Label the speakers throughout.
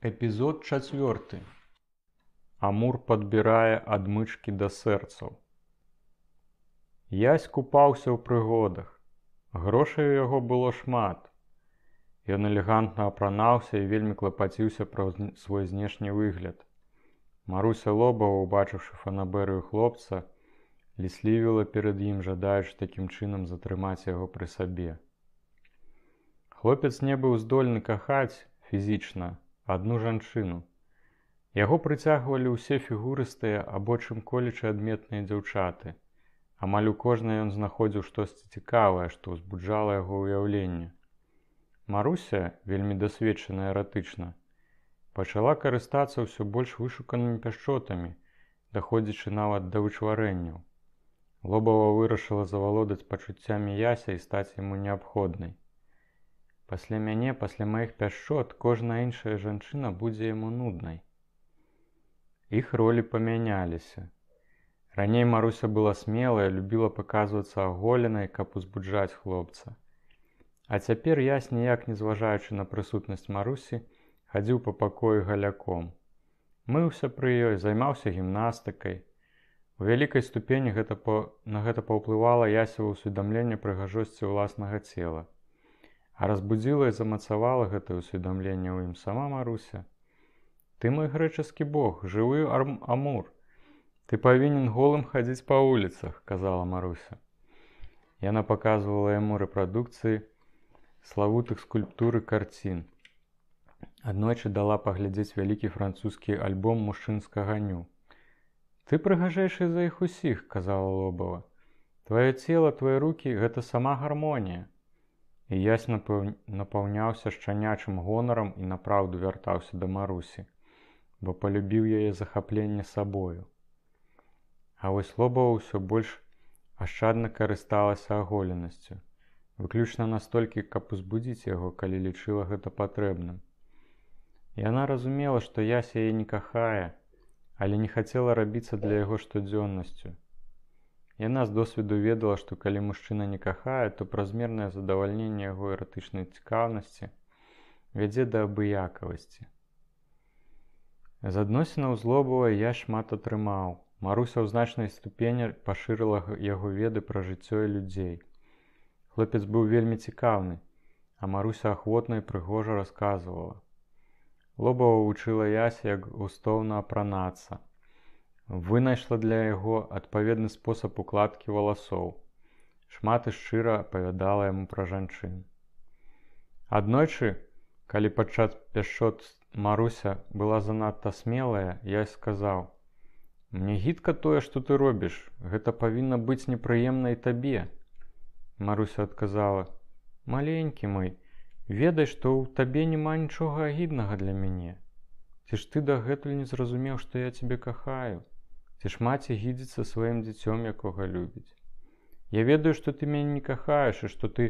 Speaker 1: Эпізод 4. Амур падбірае адмычкі да сэрцаў. Ясь купаўся ў прыгодах. Грошай у яго было шмат. Ён элегантна апранаўся і вельмі клапаціўся пра свой знешні выгляд. Маруся Лобава, убачыўшы фанабэрыю хлопца, ліслівіла перад ім, жадаючы такім чынам затрымаць яго пры сабе. Хлопец не быў здольны кахаць фізічна адну жанчыну. Яго прыцягвалі ўсе фігурыстыя або чым-колечы адметныя дзяўчаты. Амаль у кожнай ён знаходзіў штосьці цікавае, што ўзбуджала яго ўяўленне. Маруся, вельмі дасведчаная эратычна, пачала карыстацца ўсё больш вышуканымі пяшчотамі, даходзячы нават да вычварэнняў. Лобава вырашыла завалодаць пачуццямі Яся і стаць яму неабходнай. Пасля мяне, пасля маіх пяшчот, кожная іншая жанчына будзе яму нуднай. Іх ролі памяняліся. Раней Маруся была смелая, любіла паказвацца аголенай, каб узбуджаць хлопца. А цяпер Ясь, ніяк не зважаючы на прысутнасць Марусі, хадзіў па пакоі галяком. Мыўся пры ёй, займаўся гімнастыкай. У вялікай ступені на гэта паўплывала Ясева ўсведамленне прыгажосці ўласнага цела. А разбудзіла і замацавала гэтае ўсведамленне ў ім сама Маруся. «Ты мой грэчаскі бог, жывы Амур. Ты павінен голым хадзіць па вуліцах», – казала Маруся. Яна паказвала яму рэпрадукцыі славутых скульптур і карцін. Аднойчы дала паглядзець вялікі французскі альбом мужчынскага ню. «Ты прыгажэйшы за іх усіх», – казала Лобава. «Тваё цела, твае рукі – гэта сама гармонія». І Ясь напаўняўся шчанячым гонарам і напраўду вяртаўся да Марусі, бо палюбіў яе захапленне сабою. А вось Лобава ўсё больш ашчадна карысталася аголенасцю, выключна настолькі, каб узбудзіць яго, калі лічыла гэта патрэбным. Яна разумела, што Ясь яе не кахае, але не хацела рабіцца для яго штодзённасцю. Яна з досведу ведала, што калі мужчына не кахае, то празмернае задавальненне яго эратычнай цікаўнасці вядзе да абыякавасці. З адносінаў з Лобавай Ясь шмат атрымаў. Маруся ў значнай ступені пашырыла яго веды пра жыццё і людзей. Хлопец быў вельмі цікаўны, а Маруся ахвотна і прыгожа расказвала. Лобава вучыла Яся, як густоўна апранацца. Вынайшла для яго адпаведны спосаб укладкі валасоў. Шмат і шчыра апавядала яму пра жанчын. Аднойчы, калі падчас пяшчот Маруся была занадта смелая, Ясь сказаў: «Мне гідка тое, што ты робіш, гэта павінна быць непрыемна і табе». Маруся адказала: «Маленькі мой, ведай, што ў табе няма нічога агіднага для мяне. Ці ж ты дагэтуль не зразумеў, што я цябе кахаю? Ці ж маці гідзіцца сваім дзіцём, якога любіць? Я ведаю, што ты мяне не кахаеш і што ты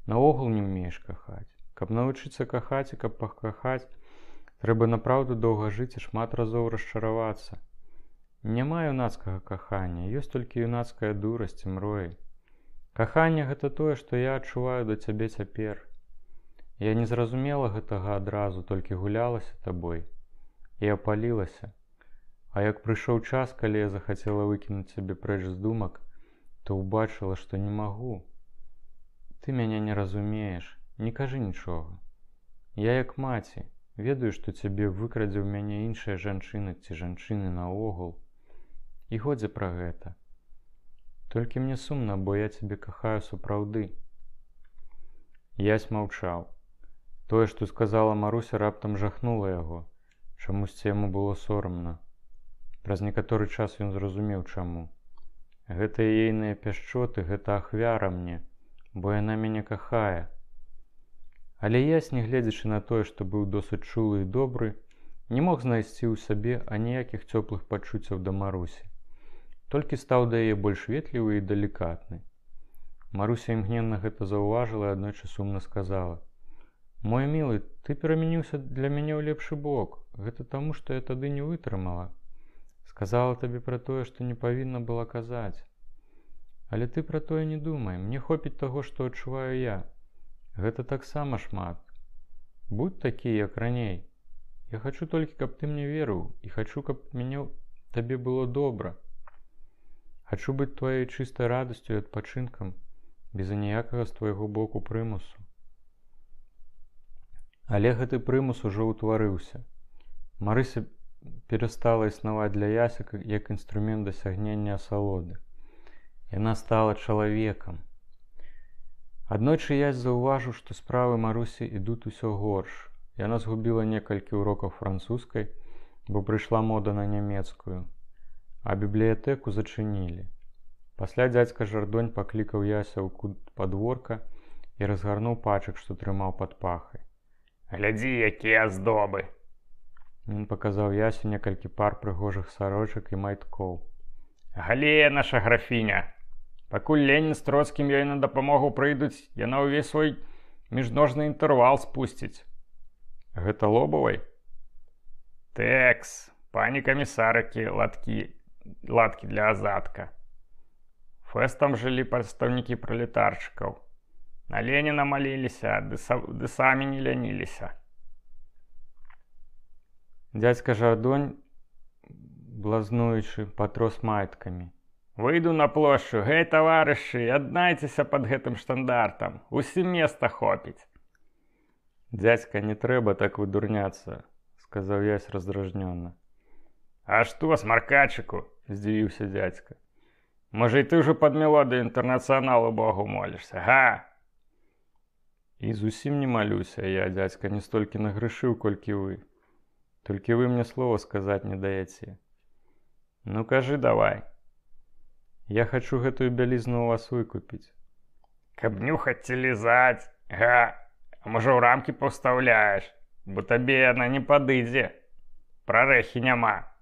Speaker 1: наогул не ўмееш кахаць. Каб навучыцца кахаць і каб пакахаць, трэба напраўду доўга жыць і шмат разоў расчаравацца. Няма юнацкага кахання, ёсць толькі юнацкая дурасць і мроі. Каханне – гэта тое, што я адчуваю да цябе цяпер. Я не зразумела гэтага адразу, толькі гулялася табой і апалілася. А як прыйшоў час, калі я захацела выкінуць цябе прэч з думак, то ўбачыла, што не магу. Ты мяне не разумееш, не кажы нічога. Я як маці, ведаю, што цябе выкрадзе ў мяне іншая жанчына ці жанчыны наогул. І годзе пра гэта. Толькі мне сумна, бо я цябе кахаю сапраўды». Ясь маўчаў. Тое, што сказала Маруся, раптам жахнула яго. Чамусьці яму было сорамна. Праз некаторы час ён зразумеў, чаму. Гэта ейныя пяшчоты, гэта ахвяра мне, бо яна мяне кахае. Але Ясь, не гледзячы на тое, што быў досыць чулы і добры, не мог знайсці ў сабе аніякіх цёплых пачуццяў да Марусі. Толькі стаў да яе больш ветлівы і далікатны. Маруся імгненна гэта заўважыла і аднойчы сумна сказала: «Мой мілы, ты перамяніўся для мяне ў лепшы бок. Гэта таму, што я тады не вытрымала. Сказала табе пра тое, што не павінна была казаць. Але ты пра тое не думай, мне хопіць таго, што адчуваю я. Гэта таксама шмат. Будь такі, як раней. Я хочу толькі, каб ты мне верыў, і хочу, каб табе было добра. Хачу быць тваёй чыстай радасцю і адпачынкам, без аніякага з твайго боку прымусу. Але гэты прымус ужо ўтварыўся. Марыся перастала існаваць для Ясі як інструмент дасягнення асалоды. Яна стала чалавекам. Аднойчы Ясь заўважыў, што справы Марусі ідуць усё горш. Яна згубіла некалькі урокаў французскай, бо прыйшла мода на нямецкую, а бібліятэку зачынілі. Пасля дзядзька Жардонь паклікаў Яся ў кут падворка і разгарнуў пачак, што трымаў пад пахай.
Speaker 2: «Глядзі, якія аздобы!»
Speaker 1: Ён паказаў Ясю некалькі пар прыгожых сарочак і майткоў.
Speaker 2: «Галея наша графіня! Пакуль Ленін з Троцкім ёй на дапамогу прыйдуць, яна ўвесь свой міжножны інтэрвал спусціць».
Speaker 1: «Гэта Лобавай?»
Speaker 2: «Тэкс, пані камісарыкі, ладкі для азадка. Фэстам жылі прадстаўнікі пралетарчыкаў. На Леніна маліліся, ды самі не ляніліся».
Speaker 1: Дзядзька Жардонь, блазнуючы, патрос майткамі.
Speaker 2: «Выйду на плошчу, гэй, таварышы, аднайцеся пад гэтым штандартам, усім места хопіць».
Speaker 1: «Дзядзька, не трэба так выдурняцца», — сказаў Ясь раздражнённа.
Speaker 2: «А што, смаркачыку?» — здзівіўся дзядзька. «Можа, і ты ўжо пад мелодыю інтэрнацыяналу Богу молішся, га?»
Speaker 1: «І зусім не малюся я, дзядзька, не столькі нагрышыў, колькі вы. Толькі вы мне слова сказаць не даяце».
Speaker 2: «Ну, кажы давай».
Speaker 1: «Я хачу гэтую бялізну у вас выкупіць».
Speaker 2: «Каб нюхаць ці лізаць, га? А можа, ў рамкі паўстаўляеш, бо табе яна не падыдзе. Прарэхі няма».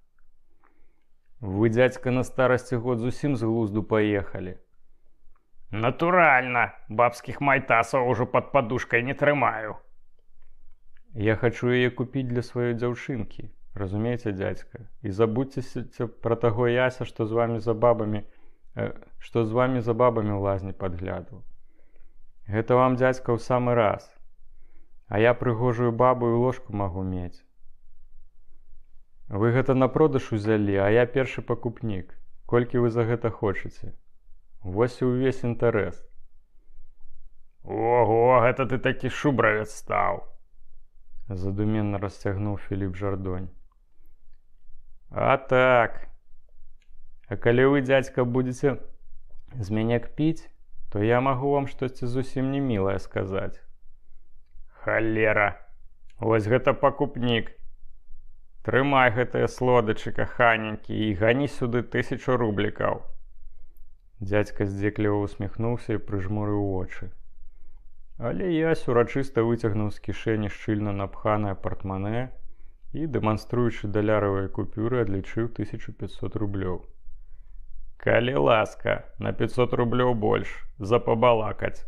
Speaker 1: «Вы, дзядзька, на старасці год зусім з глузду паехалі».
Speaker 2: «Натуральна, бабскіх майтасаў ужо пад падушкай не трымаю».
Speaker 1: «Я хачу яе купіць для сваёй дзяўчынкі, разумееце, дзядзька? І забудзьцеся пра таго Яся, што з вамі за бабамі ў лазні падглядаў. Гэта вам, дзядзька, ў самы раз. А я прыгожую бабу і ложку магу мець. Вы гэта на продаж узялі, а я першы пакупнік. Колькі вы за гэта хочаце? Вось і ўвесь інтарэс».
Speaker 2: «Ого, гэта ты такі шубравец стаў!»
Speaker 1: Задуменна расцягнуў Філіп Жардонь. «А так. А калі вы, дзядзька, будзеце з мяне кпіць, то я магу вам штосьці зусім не мілае сказаць».
Speaker 2: «Халера! Вось гэта пакупнік! Трымай гэтыя слодычы, каханенькі, і гані сюды 1000 рублікаў».
Speaker 1: Дзядзька здзекліва усміхнуўся і прыжмурыў вочы. Але Ясь урачыста выцягнуў з кішэні шчыльна напханае партманэ і, дэманструючы даляравыя купюры, адлічыў 1500 рублёў.
Speaker 2: «Калі ласка, на 500 рублёў больш, за пабалакаць».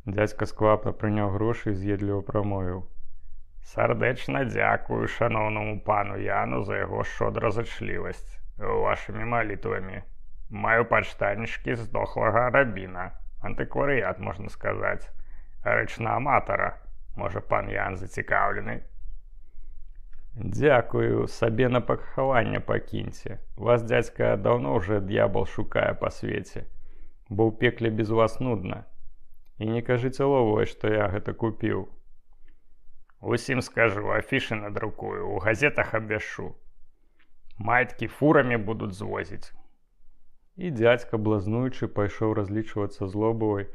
Speaker 1: Дзядзька сквапна прыняў грошы і з'едліва прамовіў.
Speaker 2: «Сардэчна дзякую шаноўнаму пану Яну за яго шчодразычлівасць. Вашымі малітвамі. Маю пачтанічкі здохлага рабіна. Антыкварыят, можна сказаць. Рэч на аматара. Можа, пан Ян зацікаўлены?»
Speaker 1: «Дзякую, сабе на пахаванне пакіньце. Вас, дзядзька, даўно ўжо д'ябал шукае па свеце, бо ў пекле без вас нудна. І не кажыце Лобавай, што я гэта купіў».
Speaker 2: «Усім скажу, афішы надрукую, у газетах абвяшу. Майткі фурамі будуць звозіць».
Speaker 1: І дзядзька, блазнуючы, пайшоў разлічвацца з Лобавай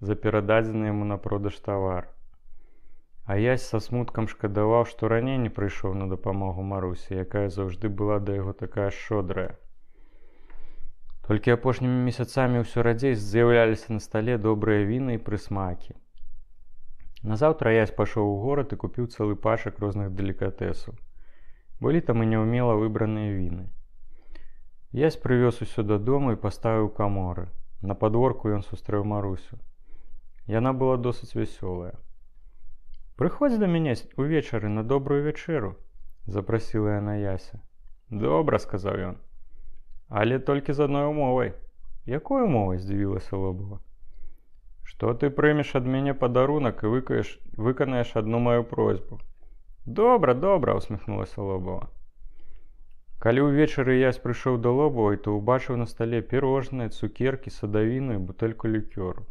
Speaker 1: за перададзены яму на продаж тавар. А Ясь са смуткам шкадаваў, што раней не прыйшоў на дапамогу Марусі, якая заўжды была да яго такая шчодрая. Толькі апошнімі месяцамі ўсё радзей з'яўляліся на стале добрыя віны і прысмакі. Назаўтра Ясь пайшоў у горад і купіў цэлы пачак розных делікатэсаў. Былі там і няўмела выбраныя віны. Ясь прывёз усё дадому і паставіў у каморы. На падворку ён сустрэў Марусю. Яна была досыць вясёлая. «Прыходзь да мяне увечары на добрую вячэру», — запрасіла яна Яся. «Добра», — сказаў ён. «Але толькі з адной умовай». «Якой умовай?» — здзівілася Лобава. «Што ты прымеш ад мяне падарунак і выканаеш адну маю просьбу. Добра, добра, усміхнулася Лобова. Калі ўвечары Ясь прыйшоў да Лобавай, то ўбачыў на стале пірожныя, цукеркі, садавіну і бутэльку лікёру.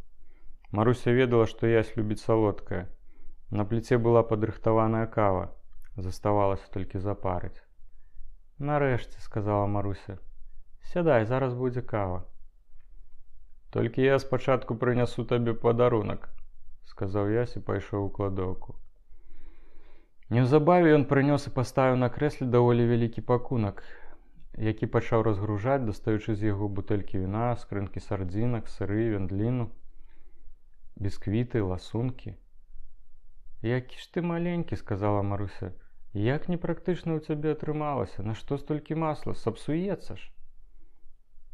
Speaker 1: Маруся ведала, што Ясь любіць салодкае. На пліце была падрыхтаваная кава. Заставалася толькі запарыць. «Нарэшце», — сказала Маруся. «Сядай, зараз будзе кава». «Толькі я спачатку прынясу табе падарунак», — сказаў Ясь і пайшоў у кладоўку. Неўзабаве ён прынёс і паставіў на крэсле даволі вялікі пакунак, які пачаў разгружаць, дастаючы з яго бутэлькі віна, скрынкі сардзінак, сыры, вяндліну, бісквіты, ласункі. «Які ж ты маленькі», — сказала Маруся. «Як непрактычна ў цябе атрымалася? Нашто столькі масла? Сапсуецца ж».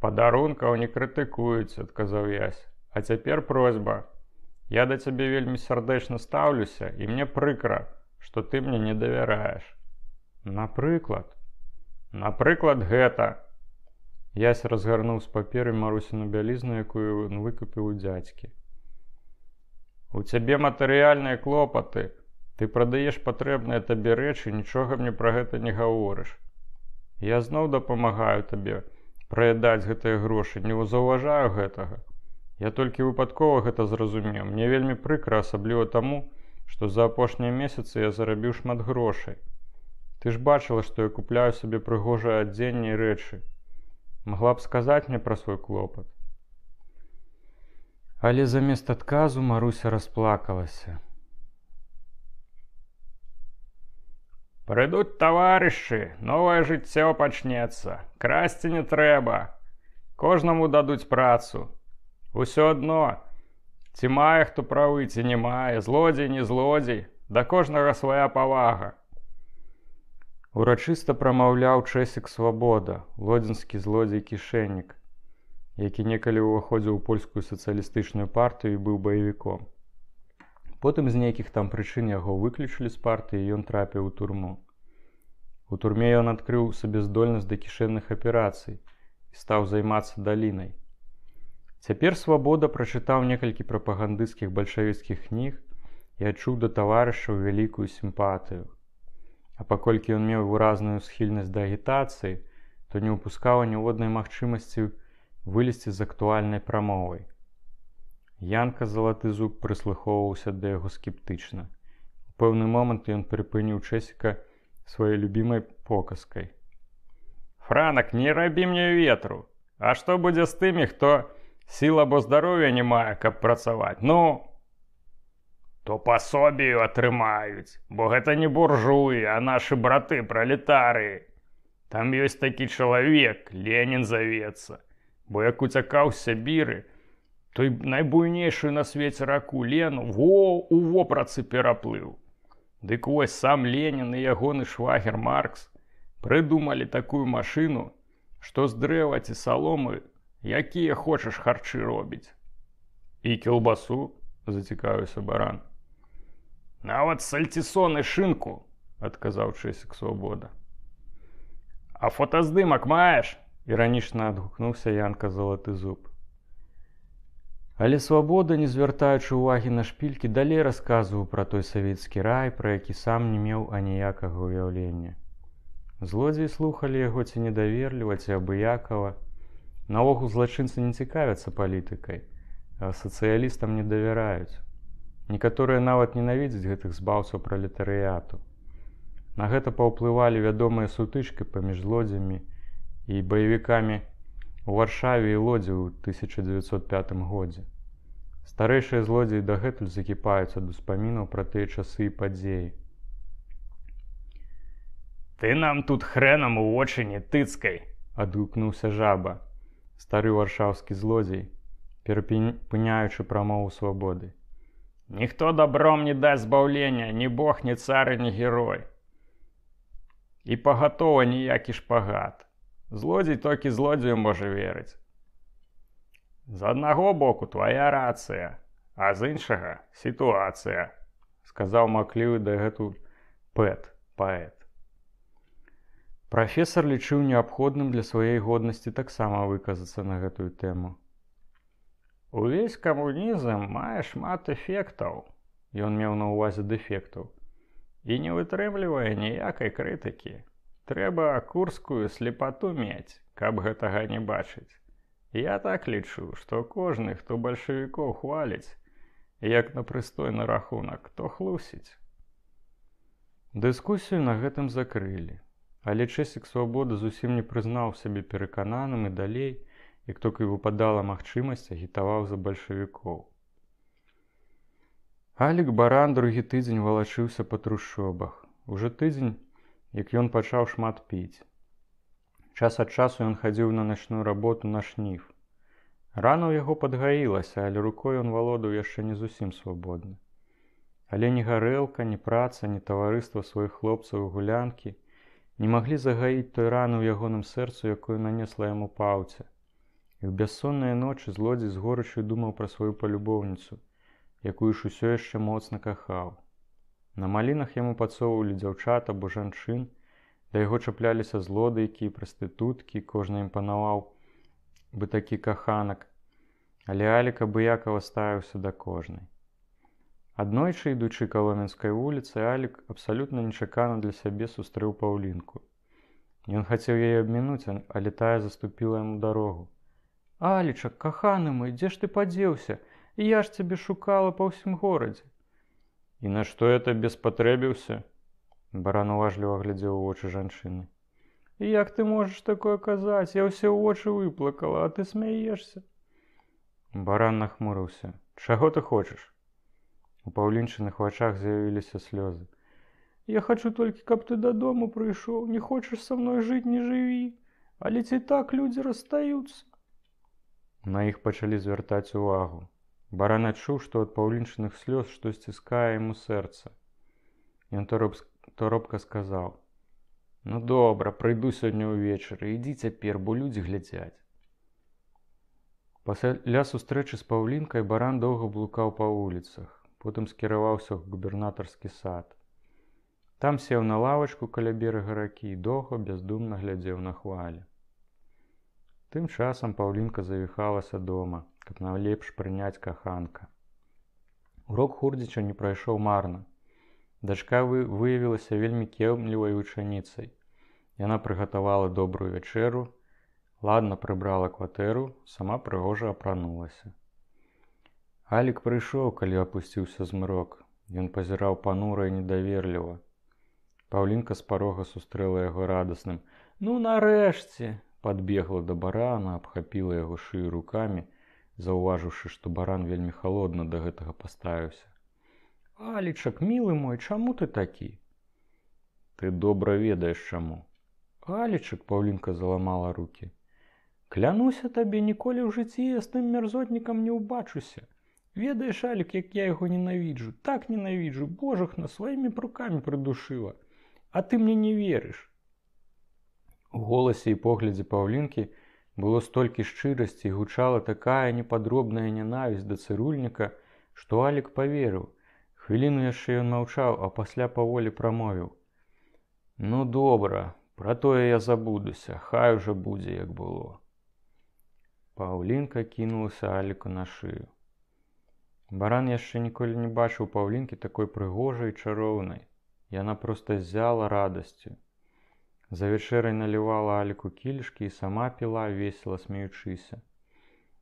Speaker 1: «Падарункаў не крытыкуюць», — адказаў Ясь. «А цяпер просьба. Я да цябе вельмі сардэчна стаўлюся, і мне прыкра, што ты мне не давяраеш». «Напрыклад?» «Напрыклад, гэта». Ясь разгарнуў з паперы Марусіну бялізну, якую ён выкупіў у дзядзькі. «У цябе матэрыяльныя клопаты. Ты прадаеш патрэбныя табе рэчы, нічога мне пра гэта не гаворыш. Я зноў дапамагаю табе праядаць гэтыя грошы, не заўважаю гэтага. Я толькі выпадкова гэта зразумеў. Мне вельмі прыкра, асабліва таму, што за апошнія месяцы я зарабіў шмат грошай. Ты ж бачыла, што я купляю сабе прыгожае адзенне і рэчы. Магла б сказаць мне пра свой клопат». Але замест адказу Маруся расплакалася.
Speaker 2: «Прыйдуць таварышы, новае жыццё пачнецца. Красці не трэба. Кожнаму дадуць працу. Усё адно, ці мае хто правы, ці не мае, злодзей, не злодзей, да кожнага свая павага».
Speaker 1: Урачыста прамаўляў Чэсік Свабода, лодзінскі злодзей-кішэннік, які некалі ўваходзіў у польскую сацыялістычную партыю і быў баевіком. Потым з нейкіх там прычын яго выключылі з партыі, і ён трапіў у турму. У турме ён адкрыў сабе здольнасць да кішэнных аперацый і стаў займацца далінай. Цяпер Свабода прачытаў некалькі прапагандысцкіх бальшавіцкіх кніг і адчуў да таварышаў вялікую сімпатыю. А паколькі ён меў выразную схільнасць да агітацыі, то не ўпускаў ніводнай магчымасці вылезці з актуальнай прамовай. Янка Залаты Зуб прыслухоўваўся да яго скептычна. У пэўны момант ён прыпыніў Чэсіка сваёй любімай показкай.
Speaker 2: «Франак, не рабі мне ветру. А што будзе з тымі, хто сіл або здароўя не мае, каб працаваць? Ну, то пасобію атрымаюць, бо гэта не буржуі, а нашы браты пралетарыі. Там ёсць такі чалавек, Ленін завецца, бо як уцякаў з Сябіры, той найбуйнейшую на свеце раку Лену у вопратцы пераплыў. Дык вось сам Ленін і ягоны швагер Маркс прыдумалі такую машыну, што з дрэва ці саломы якія хочаш харчы робіць». «І кілбасу?» – зацікавіўся Баран. «Нават сальцісон і шынку», – адказаў Чэсік Свабода. «А фотаздымак маеш?» –
Speaker 1: іранічна адгукнуўся Янка Залаты Зуб. Але Свабода, не звяртаючы ўвагі на шпількі, далей расказваў пра той савецкі рай, пра які сам не меў аніякага ўяўлення. Злодзеі слухалі яго ці недаверліва, ці абыякава. Наогул злачынцы не цікавяцца палітыкай, а сацыялістам не давяраюць. Некаторыя нават ненавідзяць гэтых збаўцаў пралетарыяту. На гэта паўплывалі вядомыя сутычкі паміж злодзямі і баевікамі у Варшаве і Лодзі ў 1905 годзе. Старэйшыя злодзеі дагэтуль закіпаюць ад успамінаў пра тыя часы і падзеі.
Speaker 2: «Ты нам тут хрэнам у вочы не тыцкай»,
Speaker 1: — адгукнуўся Жаба, стары варшаўскі злодзей, перапыняючы прамову Свабоды.
Speaker 2: «Ніхто добром не дасць збаўлення, ні бог, ні цары, ні герой. І пагатова ніякі шпагат. Злодзей толькі злодзею можа верыць. З аднаго боку твая рацыя, а з іншага сітуацыя», — сказаў маўклівы дагэтуль паэт.
Speaker 1: Прафесар лічыў неабходным для сваёй годнасці таксама выказацца на гэтую тэму.
Speaker 2: «Увесь камунізм мае шмат эфектаў», —
Speaker 1: ён меў на ўвазе дэфектаў,
Speaker 2: і не вытрымлівае ніякай крытыкі. Трэба курскую слепату мець, каб гэтага не бачыць. Я так лічу, што кожны, хто бальшавікоў хваліць, як на прыстойны рахунак, то хлусіць.
Speaker 1: Дыскусію на гэтым закрылі, але Чэсік Свабода зусім не прызнаў сябе перакананым і далей, як толькі выпадала магчымасць, агітаваў за бальшавікоў. Алік Баран другі тыдзень валачыўся па трушчобах. Уже тыдзень, як ён пачаў шмат піць. Час ад часу ён хадзіў на начную работу на шніф. Рана ў яго падгаілася, але рукой ён валодаў яшчэ не зусім свабодна. Але ні гарэлка, ні праца, ні таварыства сваіх хлопцаў і гулянкі не маглі загаіць той раны ў ягоным сэрцу, якую нанесла яму паўця. І ў бяссонныя ночы злодзей з горычаю думаў пра сваю палюбоўніцу, якую ж усё яшчэ моцна кахаў. На малінах яму падсоўвалі дзяўчат або жанчын, да яго чапляліся злодыйкі і прастытуткі, кожны імпанаваў бы такі каханак, але Алік абыякава ставіўся да кожнай. Аднойчы, ідучы Каломенскай вуліцай, Алік абсалютна нечакана для сябе сустрэў Паўлінку. Ён хацеў яе абмінуць, але тая заступіла яму дарогу. «Алічак, каханы мой, дзе ж ты падзеўся? Я ж цябе шукала па ўсім горадзе».
Speaker 2: «І на што я табе спатрэбіўся?»
Speaker 1: Баран уважліва глядзеў у вочы жанчыны.
Speaker 2: «Як ты можаш такое казаць? Я ўсе вочы выплакала, а ты смяешся».
Speaker 1: Баран нахмурыўся. «Чаго ты хочаш?» У Паўлінчыных вачах з'явіліся слёзы.
Speaker 2: «Я хачу толькі, каб ты дадому прыйшоў. Не хочаш са мной жыць, не жыві. Але ці так людзі расстаюцца?»
Speaker 1: На іх пачалі звяртаць увагу. Баран адчуў, што ад Паўлінчыных слёз штось сціскае яму сэрца. Ён торопка сказаў: «Ну добра, прыйду сёння ўвечары, ідзі цяпер, бо людзі глядзяць». Пасля сустрэчы з Паўлінкай Баран доўга блукаў па вуліцах, потым скіраваўся ў губернатарскі сад. Там сеў на лавачку каля берага ракі і доўга бяздумна глядзеў на хвалі. Тым часам Паўлінка завіхалася дома, каб найлепш прыняць каханка. Урок Хурдзіча не прайшоў марна. Дачка выявілася вельмі кемлівай вучаніцай. Яна прыгатавала добрую вячэру, ладна прыбрала кватэру, сама прыгожа апранулася. Алік прыйшоў, калі апусціўся змрок. Ён пазіраў панура і недаверліва. Паўлінка з парога сустрэла яго радасным: «Ну нарэшце!» Падбегла да барана, абхапіла яго шыю рукамі, заўважыўшы, што баран вельмі халодна да гэтага паставіўся. «Алічак, мілы мой, чаму ты такі?» «Ты добра ведаеш, чаму».
Speaker 2: «Алічак», Паўлінка заламала рукі. «Клянуся табе, ніколі ў жыцці я з тым мярзотнікам не ўбачуся. Ведаеш, Алік, як я яго ненавіджу, так ненавіджу, божахна, сваімі рукамі прыдушыла. А ты мне не верыш».
Speaker 1: У голасе і поглядзе Паўлінкі было столькі шчырасці і гучала такая непадробная нянавісць да цырульніка, што Алік паверыў. Хвіліну яшчэ ён маўчаў, а пасля паволі прамовіў: «Ну добра, пра тое я забудуся, хай ужо будзе, як было». Паўлінка кінулася Аліку на шыю. Баран яшчэ ніколі не бачыў Паўлінкі такой прыгожай і чароўнай. Яна проста ззяла радасцю. За вячэрай налівала Аліку кілішкі і сама піла, весела смеючыся.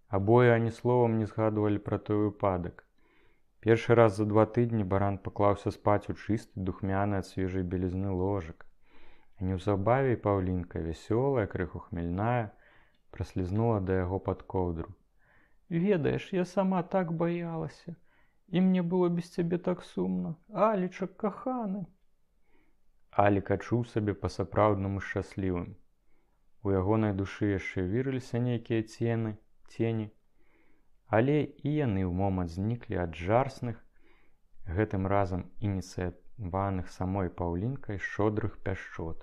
Speaker 1: Абое ані словам не згадвалі пра той выпадак. Першы раз за 2 тыдні Баран паклаўся спаць у чысты, духмяны ад свежай белізны ложак. А неўзабаве Паўлінка, вясёлая, крыху хмельная, праслізнула да яго пад коўдру.
Speaker 2: «Ведаеш, я сама так баялася. І мне было без цябе так сумна. Алічак, каханы».
Speaker 1: Алік адчуў сабе па-сапраўднаму шчаслівым. У ягонай душы яшчэ вірыліся нейкія цені, але і яны ў момант зніклі ад жарсных, гэтым разам ініцыяваных самой Паўлінкай шчодрых пяшчот.